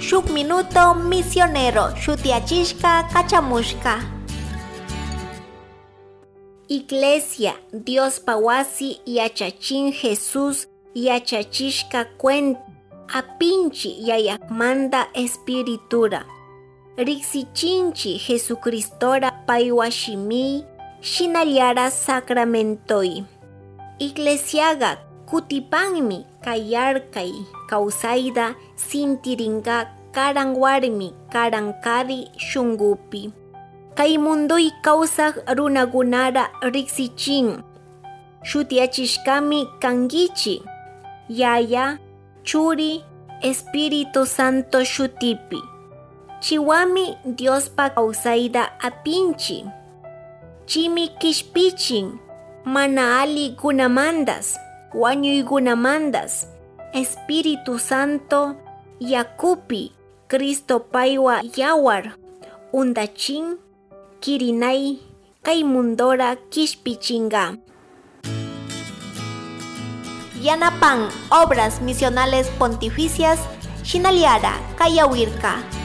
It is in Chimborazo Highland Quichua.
Shuk Minuto Misionero shutiachishka kachamushka. Iglesia Diospa wasi yachachin Jesús yachachishka cuenta apinchi yayakmanda espiritura. Riksichinchi Jesucristora paywa shimi shinallara sacramentoi. Iglesiaga kutipanmi kayarkay kawsayta sintirinka karan warmi karan kari shungupi. Kay munduy kawsaj runakunara riksichin. Shutiachishkami kankichi. Yaya, Churi, Espíritu Santo shutipi. Chiwami Diospa kawsayta apinchi. Chimi kishpichin, mana ali gunamandas, wañuykunamandas. Espíritu Santo yakupi, Cristo paywa yawar, undachin, kirinay, kay mundora kishpichinga. Yanapan Obras Misionales Pontificias, Shinaliara, Kayawirka.